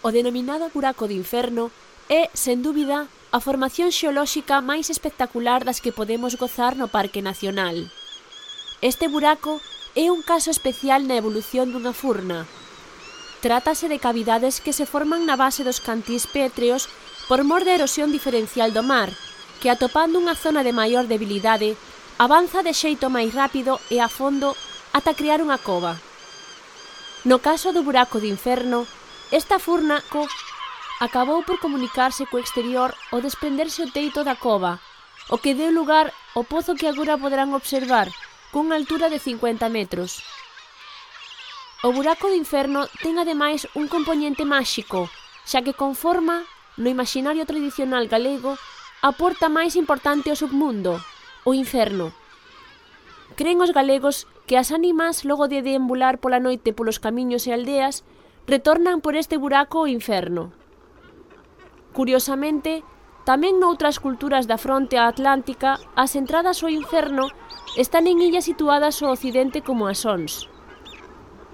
O denominado buraco de inferno é, sen dúbida, a formación xeolóxica máis espectacular das que podemos gozar no Parque Nacional. Este buraco é un caso especial na evolución dunha furna. Trátase de cavidades que se forman na base dos cantís pétreos por mor da erosión diferencial do mar, que atopando unha zona de maior debilidade, avanza de xeito máis rápido e a fondo ata crear unha cova. No caso do buraco de inferno, esta furna acabou por comunicarse co exterior ao desprenderse o teito da cova, o que deu lugar ao pozo que agora poderán observar, cunha altura de 50 metros. O buraco de inferno ten ademais un compoñente máxico, xa que conforma, no imaginario tradicional galego, a porta máis importante ao submundo, o inferno. Cren os galegos que as ánimas, logo de deambular pola noite polos camiños e aldeas, retornan por este buraco ao inferno. Curiosamente, tamén noutras culturas da fronte atlántica, as entradas ao inferno están en illas situadas ao occidente como as Ons.